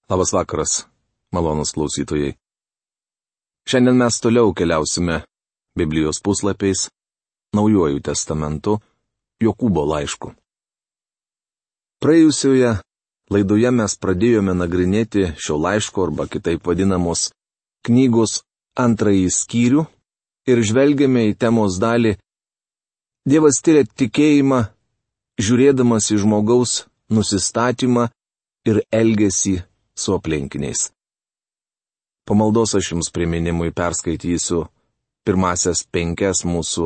Labas vakaras, malonus klausytojai. Šiandien mes toliau keliausime Biblijos puslapiais, Naujuoju testamentu, Jokūbo laišku. Praėjusioje laidoje mes pradėjome nagrinėti šio laiško arba kitaip vadinamos knygos antrąjį skyrių ir žvelgėme į temos dalį Dievas tyria tikėjimą, žiūrėdamas į žmogaus nusistatymą ir elgesį su aplinkiniais. Po maldos aš jums priminimui perskaitysiu pirmasias 5 mūsų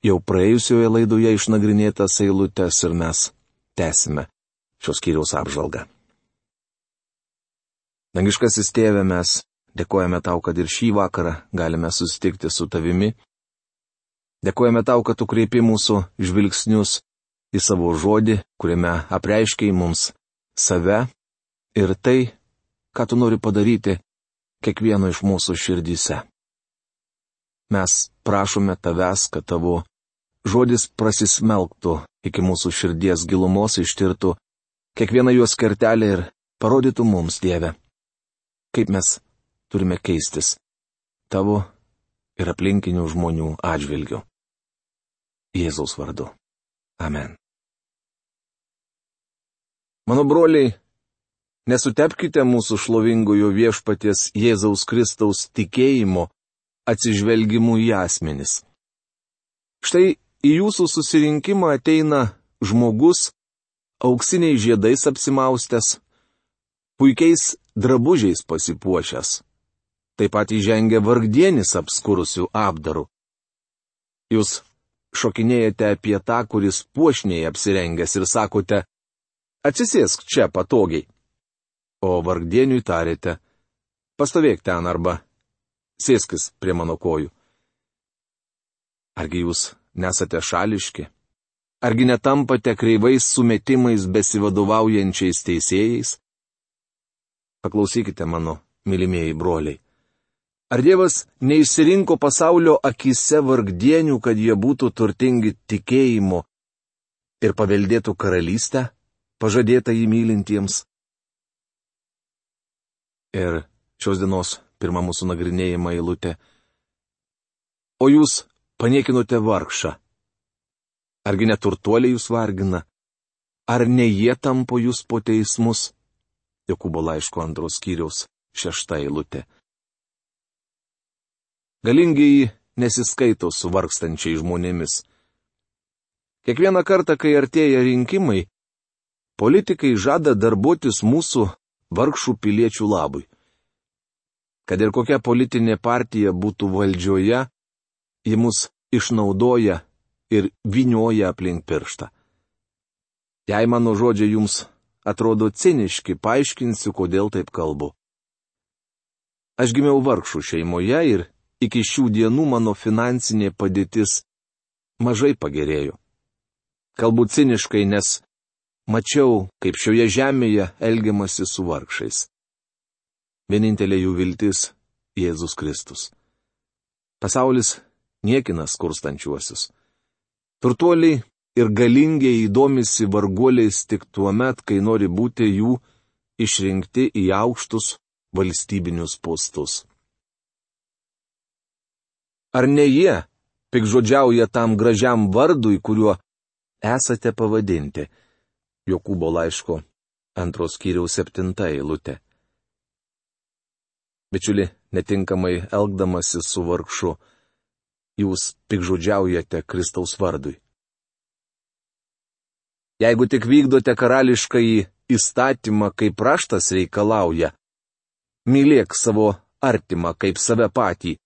jau praėjusioje laidoje išnagrinėtas eilutes ir mes tęsime šios skyriaus apžvalgą. Dangiškasis Tėve, mes dėkojame Tau, kad ir šį vakarą galime susitikti su Tavimi. Dėkojame Tau, kad Tu kreipi mūsų žvilgsnius į savo žodį, kuriame apreiškiai mums save ir tai, ką Tu nori padaryti kiekvieno iš mūsų širdyse. Mes prašome Tavęs, kad Tavo žodis prasismelktų iki mūsų širdies gilumos, ištirtų kiekvieną jos kertelę ir parodytų mums, Dieve, kaip mes turime keistis Tavo ir aplinkinių žmonių atžvilgiu. Jėzaus vardu. Amen. Mano broliai, nesutepkite mūsų šlovingojo viešpaties Jėzaus Kristaus tikėjimo atsižvelgimu į asmenis. Štai į jūsų susirinkimą ateina žmogus, auksiniais žiedais apsimaustęs, puikiais drabužiais pasipuošęs. Taip pat įžengia vargdienis apskurusių apdarų. Jūs šokinėjate apie tą, kuris puošniai apsirengęs ir sakote, atsisėsk čia patogiai. O vargdieniui tarėte, pastovėk ten arba sėskis prie mano kojų. Argi jūs nesate šališki? Argi netampate kreivais sumetimais besivadovaujančiais teisėjais? Paklausykite mano, mylimieji broliai. Ar Dievas neišsirinko pasaulio akyse vargdienių, kad jie būtų turtingi tikėjimu ir paveldėtų karalystę, pažadėtą jį mylintiems? Ir šios dienos pirma mūsų nagrinėjama eilutė. O jūs paniekinote vargšą. Argi neturtuoliai jūs vargina? Ar ne jie tampo jūs po teismus? Jokūbo laiško 2 skyriaus 6 eilutė. Galingieji nesiskaito su vargstančiai žmonėmis. Kiekvieną kartą, kai artėja rinkimai, politikai žada darbuotis mūsų vargšų piliečių labui. Kad ir kokia politinė partija būtų valdžioje, ji mus išnaudoja ir vynioja aplink pirštą. Jei mano žodžiai jums atrodo ciniški, paaiškinsiu, kodėl taip kalbu. Aš gimiau vargšų šeimoje ir iki šių dienų mano finansinė padėtis mažai pagerėjo. Kalbu ciniškai, nes mačiau, kaip šioje žemėje elgiamasi su vargšais. Vienintelė jų viltis - Jėzus Kristus. Pasaulis niekina skurstančiuosius. Turtuoliai ir galingiai domisi varguoliais tik tuo met, kai nori būti jų išrinkti į aukštus valstybinius postus. Ar ne jie pikžodžiauja tam gražiam vardui, kuriuo esate pavadinti? Jokūbo laiško 2 skyriaus 7 eilutė. Bičiuli, netinkamai elgdamasi su vargšu, jūs pikžodžiaujate Kristaus vardui. Jeigu tik vykdote karališkąjį įstatymą, kaip raštas reikalauja, mylėk savo artimą kaip save patį,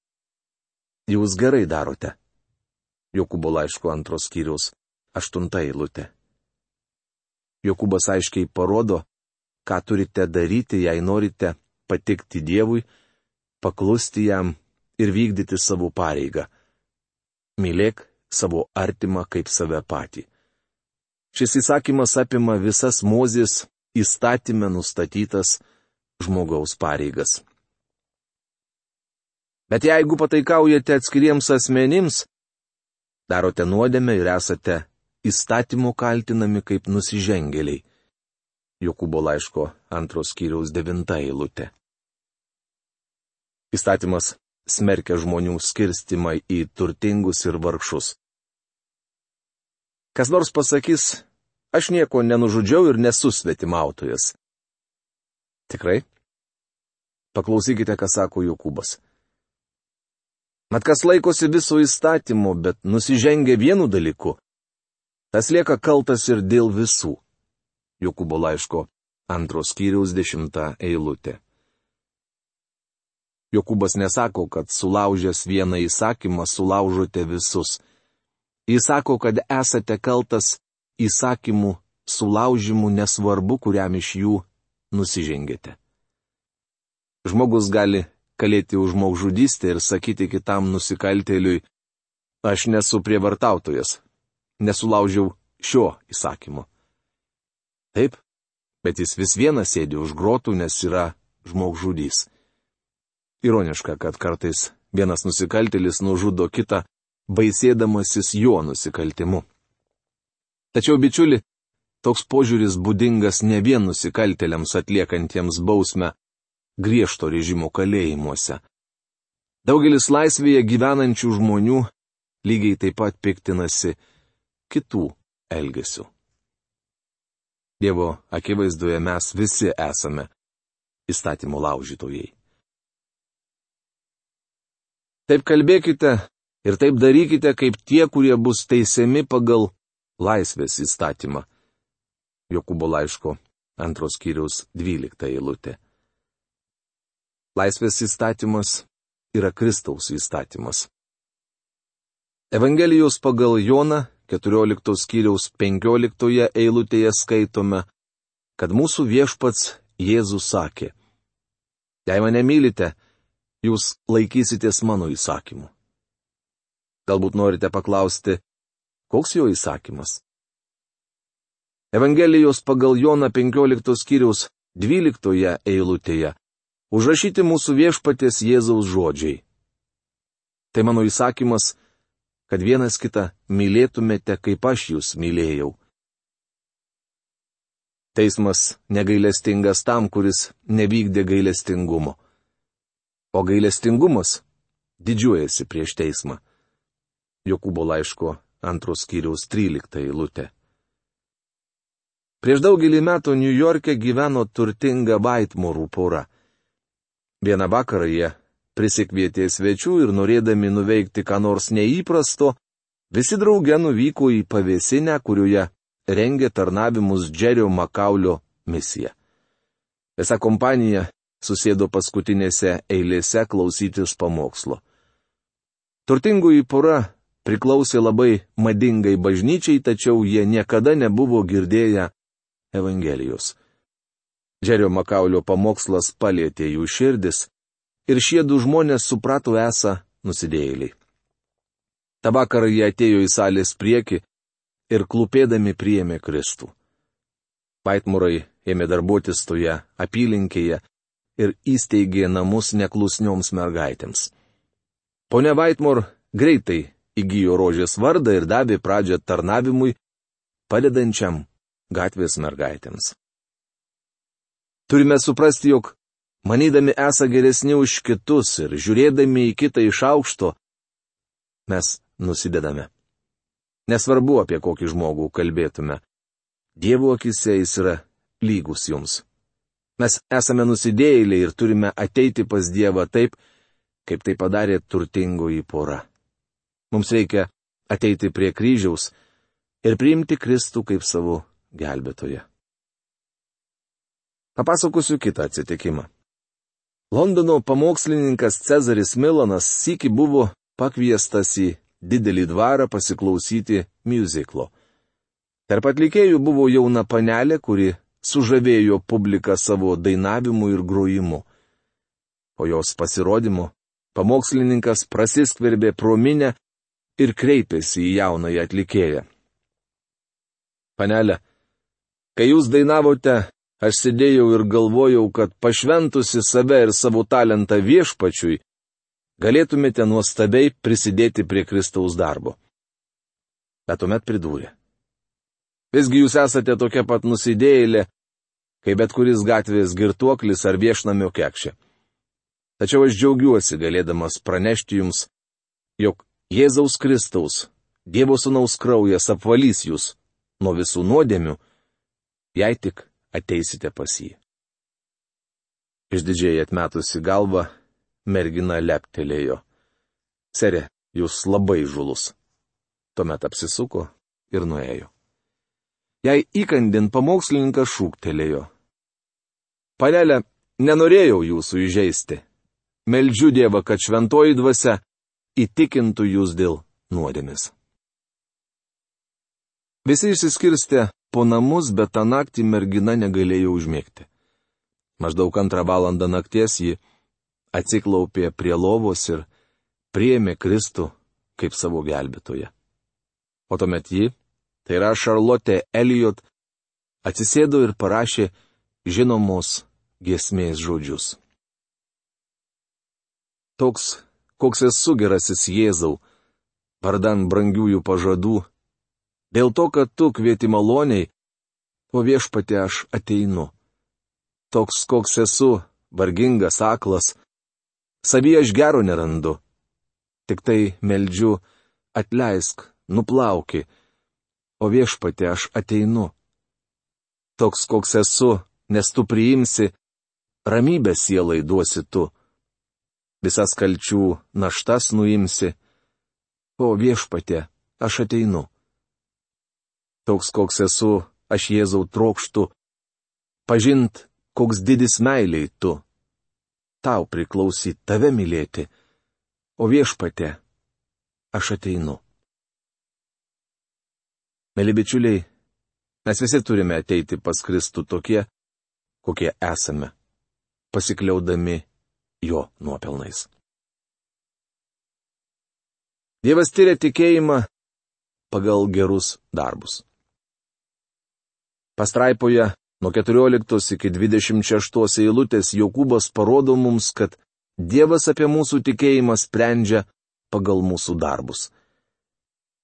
jūs gerai darote. Jokūbo laiško 2 skyriaus 8 eilutė. Jokūbas aiškiai parodo, ką turite daryti, jei norite patikti Dievui, paklusti jam ir vykdyti savo pareigą. Mylėk savo artimą kaip save patį. Šis įsakymas apima visas Mozės įstatyme nustatytas žmogaus pareigas. Bet jeigu pataikaujate atskiriems asmenims, darote nuodėmę ir esate įstatymu kaltinami kaip nusižengėliai. Jokūbo laiško 2 skyriaus 9 eilutė. Įstatymas smerkia žmonių skirstimą į turtingus ir vargšus. Kas nors pasakys, aš nieko nenužudžiau ir nesu svetimautojas. Tikrai? Paklausykite, ką sako Jokūbas. Mat kas laikosi viso įstatymo, bet nusižengia vienu dalyku, tas lieka kaltas ir dėl visų. Jokūbo laiško 2 skyriaus 10 eilutė. Jokūbas nesako, kad sulaužęs vieną įsakymą sulaužote visus. Jis sako, kad esate kaltas įsakymų sulaužimų nesvarbu, kuriam iš jų nusižengėte. Žmogus gali kalėti už žmogžudystę ir sakyti kitam nusikaltėliui, aš nesu prievartautojas, nesulaužiau šio įsakymo. Taip, bet jis vis vienas sėdi už grotų, nes yra žmogžudys. Ironiška, kad kartais vienas nusikaltėlis nužudo kitą, baisėdamasis jo nusikaltimu. Tačiau, bičiuli, toks požiūris būdingas ne vien nusikaltėliams atliekantiems bausmę griežto režimo kalėjimuose. Daugelis laisvėje gyvenančių žmonių lygiai taip pat piktinasi kitų elgesių. Dievo akivaizdoje mes visi esame įstatymo laužytojai. Taip kalbėkite ir taip darykite, kaip tie, kurie bus teisiami pagal laisvės įstatymą. Jokūbo laiško 2 skyriaus 12 eilutė. Laisvės įstatymas yra Kristaus įstatymas. Evangelijos pagal Joną 14 skyriaus 15 eilutėje skaitome, kad mūsų viešpats Jėzus sakė, jei mane mylite, jūs laikysitės mano įsakymų. Galbūt norite paklausti, koks jo įsakymas? Evangelijos pagal Joną 15 skyriaus 12 eilutėje užrašyti mūsų viešpaties Jėzaus žodžiai. Tai mano įsakymas, kad vienas kitą mylėtumėte, kaip aš jūs mylėjau. Teismas negailestingas tam, kuris nevykdė gailestingumo. O gailestingumas didžiuojasi prieš teismą. Jokūbo laiško 2 skyriaus 13 eilutė. Prieš daugelį metų Niujorke gyveno turtinga Vaitmorų pora. Vieną vakarą jie prisikvietė svečių ir norėdami nuveikti ką nors neįprasto, visi drauge nuvyko į pavėsinę, kurioje rengė tarnavimus Džerio Makaulio misija. Visa kompanija susėdo paskutinėse eilėse klausytis pamokslo. Turtingoji pora priklausė labai madingai bažnyčiai, tačiau jie niekada nebuvo girdėję Evangelijos. Džerio Makaulio pamokslas palietė jų širdis ir šie du žmonės suprato esą nusidėjėliai. Ta vakarą jie atėjo į salės priekį ir klūpėdami priėmė Kristų. Vaitmorai ėmė darbuotis toje apylinkėje ir įsteigė namus neklusnioms mergaitėms. Ponia Vaitmor greitai įgijo rožės vardą ir davė pradžią tarnavimui, padedančiam gatvės mergaitėms. Turime suprasti, jog, manydami esą geresni už kitus ir žiūrėdami į kitą iš aukšto, mes nusidedame. Nesvarbu, apie kokį žmogų kalbėtume. Dievo akise jis yra lygus jums. Mes esame nusidėjėliai ir turime ateiti pas Dievą taip, kaip tai padarė turtingoji pora. Mums reikia ateiti prie kryžiaus ir priimti Kristų kaip savo gelbėtoją. Papasakosiu kitą atsitikimą. Londono pamokslininkas Cezaris Milanas sykį buvo pakviestas į didelį dvarą pasiklausyti miuziklo. Tarp atlikėjų buvo jauna panelė, kuri sužavėjo publiką savo dainavimu ir grojimu. Po jos pasirodymo pamokslininkas prasiskverbė pro minią ir kreipėsi į jaunąją atlikėją. Panelė, kai jūs dainavote, aš sėdėjau ir galvojau, kad pašventusi save ir savo talentą viešpačiui, galėtumėte nuostabiai prisidėti prie Kristaus darbo. Bet tuomet pridūrė. Visgi jūs esate tokia pat nusidėjėlė, kaip bet kuris gatvės girtuoklis ar viešnamio kekšė. Tačiau aš džiaugiuosi galėdamas pranešti jums, jog Jėzaus Kristaus, Dievo Sūnaus kraujas apvalys jūs nuo visų nuodėmių, jei tik ateisite pas jį. Išdidžiai atmetusi galvą, mergina leptelėjo. Sere, jūs labai žulus. Tuomet apsisuko ir nuėjo. Jei įkandin pamokslininkas šūktelėjo. Panelė, nenorėjau jūsų įžeisti. Meldžiu Dievą, kad šventoji dvasia įtikintų jūs dėl nuodėmės. Visi išsiskirstė po namus, bet tą naktį mergina negalėjo užmigti. Maždaug 2 valandą nakties ji atsiklaupė prie lovos ir priėmė Kristų kaip savo gelbėtoją. O tuomet ji, tai yra Charlotte Elliot, atsisėdo ir parašė žinomos giesmės žodžius. Toks, koks esu gerasis Jėzau, vardan brangiųjų pažadų, dėl to, kad tu kvieti maloniai, o Viešpatie aš ateinu. Toks, koks esu, vargingas, aklas, savyje aš gero nerandu. Tik tai meldžiu, atleisk, nuplauki, o Viešpatie aš ateinu. Toks, koks esu, nes tu priimsi, ramybę sielai duosi tu. Visas kalčių naštas nuimsi, o Viešpatie aš ateinu. Toks, koks esu, aš Jėzau trokštu, pažint, koks didis meiliai tu. Tau priklausyt tave mylėti, o Viešpatie aš ateinu. Mėly bičiuliai, mes visi turime ateiti pas Kristų tokie, kokie esame, pasikliaudami jo nuopelnais. Dievas tyria tikėjimą pagal gerus darbus. Pastraipoje nuo 14 iki 26 eilutės Jokūbas parodo mums, kad Dievas apie mūsų tikėjimą sprendžia pagal mūsų darbus.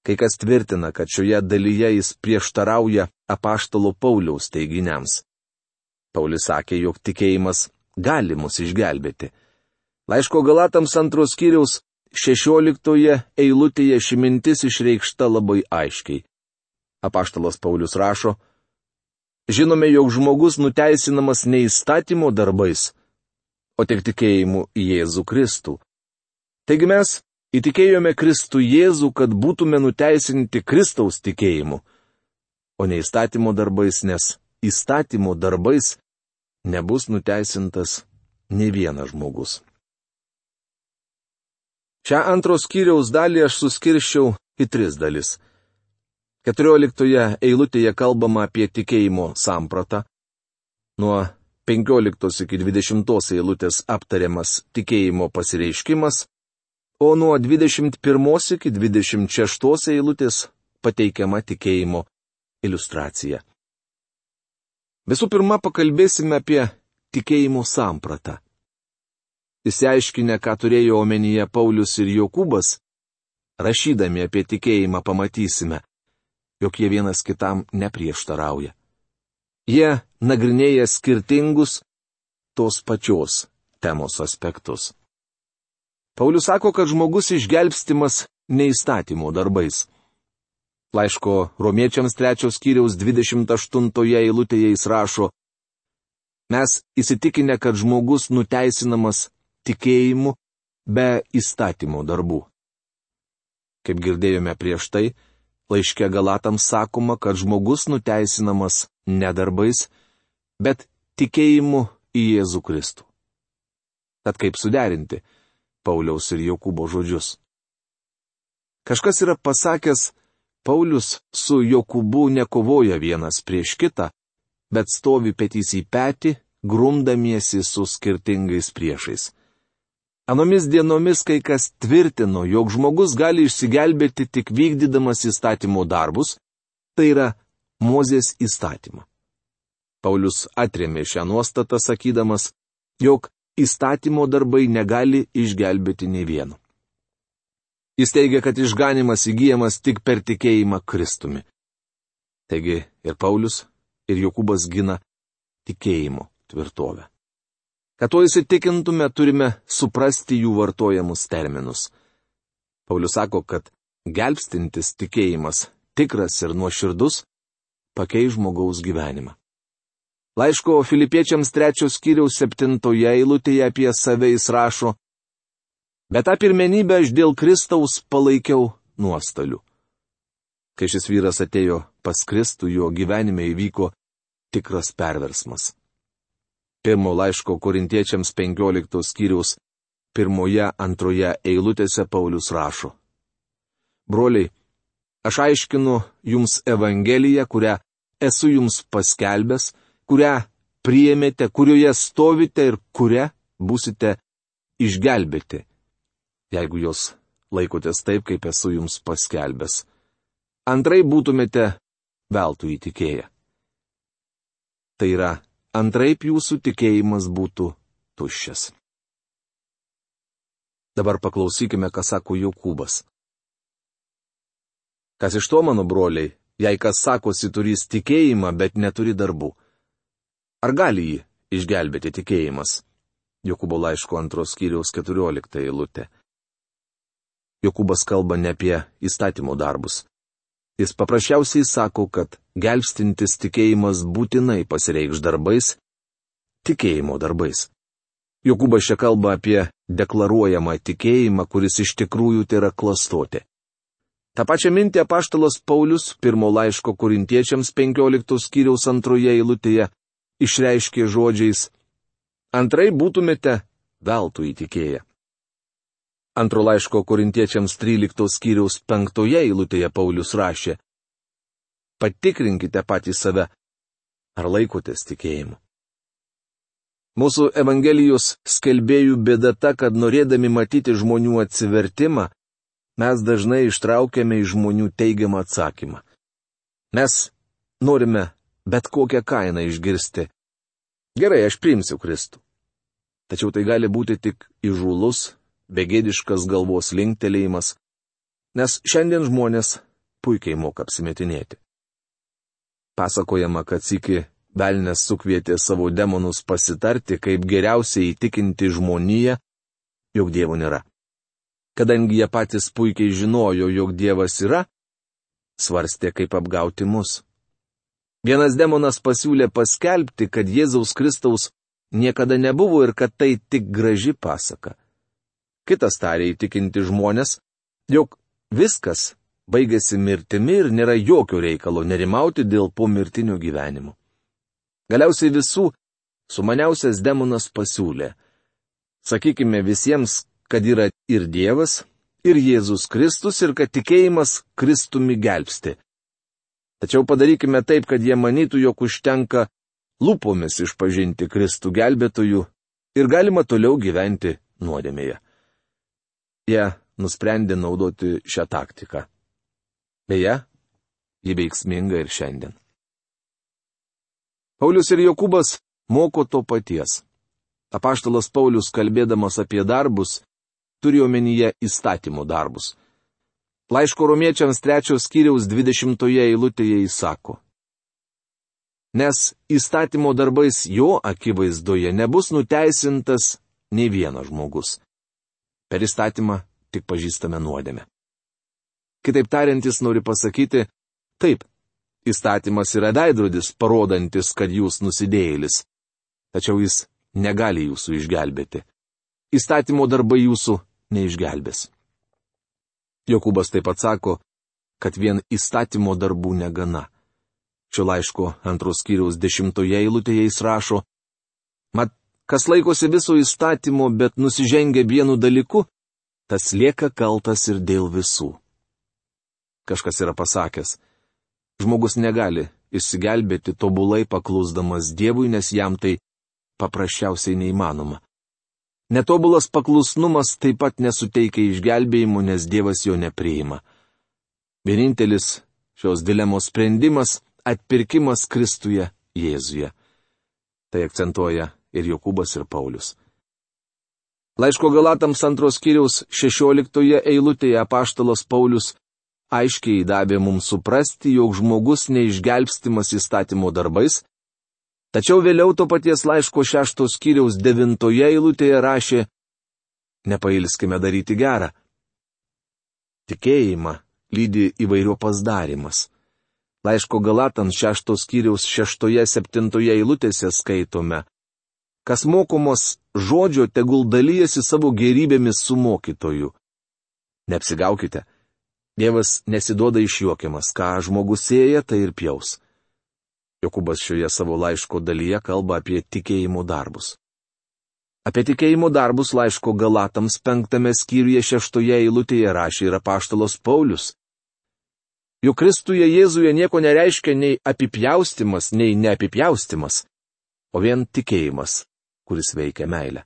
Kai kas tvirtina, kad šioje dalyje jis prieštarauja apaštalo Pauliaus teiginiams. Paulius sakė, jog tikėjimas gali mus išgelbėti. Laiško Galatams 2 skyriaus 16 eilutėje ši mintis išreikšta labai aiškiai. Apaštalas Paulius rašo: žinome, jog žmogus nuteisinamas ne įstatymo darbais, o tik tikėjimu į Jėzų Kristų. Taigi mes įtikėjome Kristų Jėzų, kad būtume nuteisinti Kristaus tikėjimu, o ne įstatymo darbais, nes įstatymo darbais nebus nuteisintas nė vienas žmogus. Šią 2 skyriaus dalį aš suskirščiau į 3 dalis. 14 eilutėje kalbama apie tikėjimo sampratą. Nuo 15 iki 20 eilutės aptariamas tikėjimo pasireiškimas, o nuo 21 iki 26 eilutės pateikiama tikėjimo iliustracija. Visų pirma, pakalbėsime apie tikėjimo sampratą. Išsiaiškinę, ką turėjo omenyje Paulius ir Jokūbas, rašydami apie tikėjimą pamatysime, jog jie vienas kitam neprieštarauja. Jie nagrinėja skirtingus tos pačios temos aspektus. Paulius sako, kad žmogus išgelbstimas ne įstatymo darbais. Laiško Romiečiams 3 skyriaus 28 eilutėje jis rašo: mes įsitikinę, kad žmogus nuteisinamas tikėjimu be įstatymo darbų. Kaip girdėjome prieš tai, laiške Galatams sakoma, kad žmogus nuteisinamas ne darbais, bet tikėjimu į Jėzų Kristų. Tad kaip suderinti Pauliaus ir Jokūbo žodžius? Kažkas yra pasakęs, Paulius su Jokūbu nekovoja vienas prieš kitą, bet stovi petys į petį, grumdamiesi su skirtingais priešais. Anomis dienomis kai kas tvirtino, jog žmogus gali išsigelbėti tik vykdydamas įstatymo darbus, tai yra Mozės įstatymą. Paulius atrėmė šią nuostatą sakydamas, jog įstatymo darbai negali išgelbėti nei vieno. Jis teigia, kad išganimas įgyjamas tik per tikėjimą Kristumi. Taigi ir Paulius, ir Jokūbas gina tikėjimo tvirtovę. Kad to įsitikintume, turime suprasti jų vartojamus terminus. Paulius sako, kad gelbstintis tikėjimas, tikras ir nuoširdus, pakeis žmogaus gyvenimą. Laiško Filipiečiams 3 skyriaus 7 eilutėje apie save jis rašo: Bet tą pirmenybę aš dėl Kristaus palaikiau nuostoliu. Kai šis vyras atėjo pas Kristų, jo gyvenime įvyko tikras perversmas. 1 laiško Korintiečiams 15 skyriaus 1-2 eilutėse Paulius rašo: Broliai, aš aiškinu jums Evangeliją, kurią esu jums paskelbęs, kurią priėmėte, kurioje stovite ir kurią būsite išgelbėti, jeigu jos laikotės taip, kaip esu jums paskelbęs. Antrai būtumėte veltui įtikėję. Tai yra, antraip jūsų tikėjimas būtų tuščias. Dabar paklausykime, ką sako Jokūbas. Kas iš to, mano broliai, jei kas sakosi turys tikėjimą, bet neturi darbų? Ar gali jį išgelbėti tikėjimas? Jokūbo laiško 2 skyriaus 14 eilutė. Jokūbas kalba ne apie įstatymo darbus. Jis paprasčiausiai sako, kad gelbstintis tikėjimas būtinai pasireikš darbais, tikėjimo darbais. Jokūbas čia kalba apie deklaruojamą tikėjimą, kuris iš tikrųjų tai yra klastotė. Ta pačia mintį apaštalas Paulius 1 laiško Korintiečiams 15 skyriaus 2 eilutėje išreiškė žodžiais: Antrai būtumėte veltui įtikėję. 2 laiško Korintiečiams 13 skyriaus 5 eilutėje Paulius rašė: Patikrinkite patys save, ar laikotės tikėjimu. Mūsų Evangelijos skelbėjų bėda ta, kad norėdami matyti žmonių atsivertimą, mes dažnai ištraukiame iš žmonių teigiamą atsakymą. Mes norime bet kokią kainą išgirsti: Gerai, aš priimsiu Kristų. Tačiau tai gali būti tik įžūlus, begėdiškas galvos linktelėjimas, nes šiandien žmonės puikiai moka apsimetinėti. Pasakojama, kad sykį velnias sukvietė savo demonus pasitarti, kaip geriausiai įtikinti žmoniją, jog Dievo nėra. Kadangi jie patys puikiai žinojo, jog Dievas yra, svarstė, kaip apgauti mus. Vienas demonas pasiūlė paskelbti, kad Jėzaus Kristaus niekada nebuvo ir kad tai tik graži pasaka. Kitas tarė įtikinti žmonės, jog viskas baigėsi mirtimi ir nėra jokio reikalo nerimauti dėl pomirtinio gyvenimo. Galiausiai visų sumaniausias demonas pasiūlė: Sakykime visiems, kad yra ir Dievas, ir Jėzus Kristus, ir kad tikėjimas Kristumi gelbsti. Tačiau padarykime taip, kad jie manytų, jog užtenka lūpomis išpažinti Kristų gelbėtojų ir galima toliau gyventi nuodėmėje. Jie nusprendė naudoti šią taktiką. Beje, ji veiksminga ir šiandien. Paulius ir Jokūbas moko to paties. Apaštalas Paulius, kalbėdamas apie darbus, turi omenyje įstatymo darbus. Laiško Romiečiams 3 skyriaus 20 eilutėje jis sako: Nes įstatymo darbais jo akivaizdoje nebus nuteisintas nei vienas žmogus. Per įstatymą tik pažįstame nuodėmę. Kitaip tariant, jis nori pasakyti: Taip, įstatymas yra veidrodis, parodantis, kad jūs nusidėjėlis. Tačiau jis negali jūsų išgelbėti. Įstatymo darbai jūsų neišgelbės. Jokūbas taip pat sako, kad vien įstatymo darbų negana. Šio laiško 2 skyriaus 10 eilutėje jis rašo: Mat, kas laikosi viso įstatymo, bet nusižengia vienu dalyku, tas lieka kaltas ir dėl visų. Kažkas yra pasakęs: Žmogus negali išsigelbėti tobulai paklusdamas Dievui, nes jam tai paprasčiausiai neįmanoma. Netobulas paklusnumas taip pat nesuteikia išgelbėjimų, nes Dievas jo nepriima. Vienintelis šios dilemos sprendimas - atpirkimas Kristuje Jėzuje. Tai akcentuoja ir Jokūbas, ir Paulius. Laiško Galatams 2 skyriaus 16 eilutėje apaštalas Paulius aiškiai davė mums suprasti, jog žmogus neišgelbstimas įstatymo darbais, Tačiau vėliau to paties laiško 6 skyriaus 9 eilutėje rašė: nepailskime daryti gerą. Tikėjimą lydi įvairiopas darimas. Laiško Galatams 6 skyriaus 6-7 eilutėse skaitome: kas mokomos žodžio, tegul dalyjasi savo gėrybėmis su mokytoju. Neapsigaukite, Dievas nesiduoda išjuokiamas, ką žmogus sėja, tai ir pjaus. Jokūbas šioje savo laiško dalyje kalba apie tikėjimo darbus. Apie tikėjimo darbus laiško Galatams 5 skyriuje 6 eilutėje rašė ir apaštalas Paulius. Juk Kristuje Jėzuje nieko nereiškia nei apipjaustimas, nei neapipjaustimas, o vien tikėjimas, kuris veikia meilę.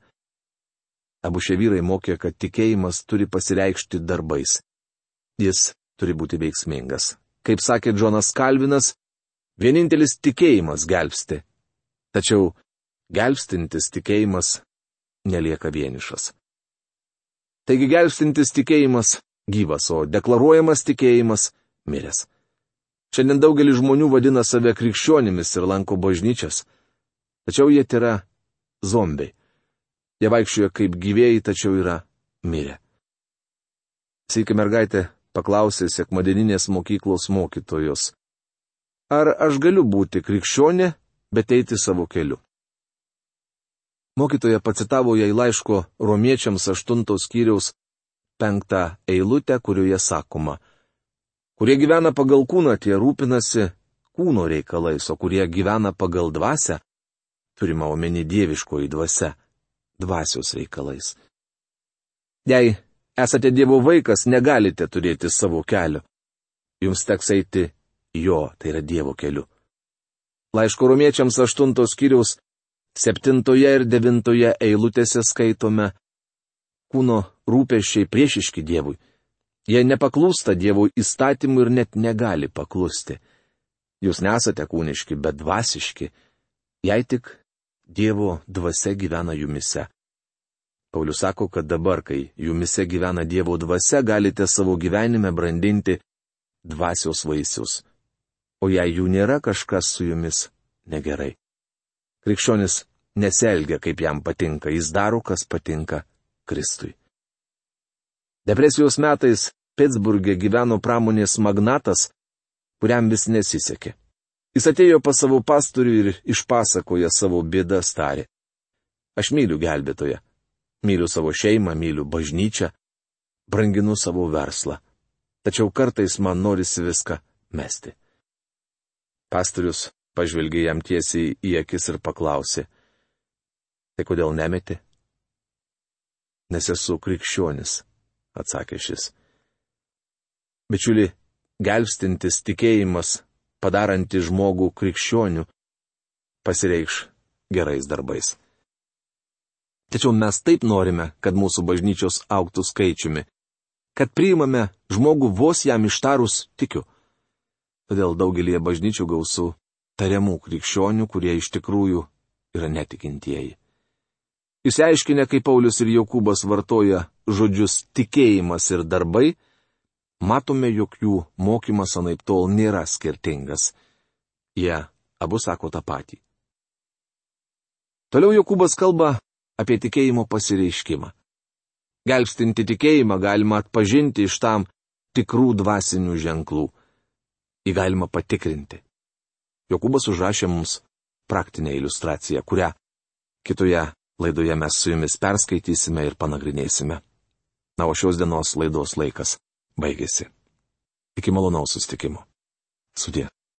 Abu šie vyrai mokė, kad tikėjimas turi pasireikšti darbais. Jis turi būti veiksmingas. Kaip sakė Džonas Kalvinas, vienintelis tikėjimas gelbsti. Tačiau gelbstintis tikėjimas nelieka vienišas. Taigi gelbstintis tikėjimas gyvas, o deklaruojamas tikėjimas miręs. Šiandien daugelis žmonių vadina save krikščionimis ir lanko bažnyčias. Tačiau jie yra zombiai. Jie vaikščioja kaip gyvėjai, tačiau yra mirę. Sykį mergaitė paklausė sekmadieninės mokyklos mokytojos: ar aš galiu būti krikščionė, bet eiti savo keliu? Mokytoja pacitavo jai laiško Romiečiams 8 skyriaus 5 eilutę, kurioje sakoma: kurie gyvena pagal kūną, tie rūpinasi kūno reikalais, o kurie gyvena pagal dvasią, turima omeny dieviškoji dvasia, dvasios reikalais. Jei esate Dievo vaikas, negalite turėti savo kelio. Jums teks eiti jo, tai yra Dievo keliu. Laiško Romiečiams 8 skyriaus 7 ir 9 eilutėse skaitome: kūno rūpesčiai priešiški Dievui. Jie nepaklūsta Dievo įstatymui ir net negali paklusti. Jūs nesate kūniški, bet dvasiški, jei tik Dievo dvasia gyvena jumise. Paulius sako, kad dabar, kai jumise gyvena Dievo dvasia, galite savo gyvenime brandinti dvasios vaisius. O jei jų nėra, kažkas su jumis negerai. Krikščionis nesielgia, kaip jam patinka, jis daro, kas patinka Kristui. Depresijos metais Pitsburge gyveno pramonės magnatas, kuriam vis nesisekė. Jis atėjo pas savo pastorių ir išpasakoja savo bėdas, tarė: aš myliu gelbėtoją. Myliu savo šeimą, myliu bažnyčią, branginu savo verslą. Tačiau kartais man norisi viską mesti. Pastorius pažvelgė jam tiesiai į akis ir paklausė: tai kodėl nemeti? Nes esu krikščionis, atsakė šis. Bičiuli, gelbstintis tikėjimas, padarantis žmogų krikščioniu, pasireikš gerais darbais. Tačiau mes taip norime, kad mūsų bažnyčios augtų skaičiumi, kad priimame žmogų vos jam ištarus tikiu. Todėl daugelie bažnyčių gausu tariamų krikščionių, kurie iš tikrųjų yra netikintieji. Išsiaiškinę, kaip Paulius ir Jokūbas vartoja žodžius tikėjimas ir darbai, matome, jog jų mokymas anaiptol nėra skirtingas. Jie abu sako tą patį. Toliau Jokūbas kalba apie tikėjimo pasireiškimą. Gelbstinti tikėjimą galima atpažinti iš tam tikrų dvasinių ženklų. Jį galima patikrinti. Jokūbas užrašė mums praktinę iliustraciją, kurią kitoje laidoje mes su jumis perskaitysime ir panagrinėsime. Na, o šios dienos laidos laikas baigėsi. Iki malonaus susitikimo. Sudie.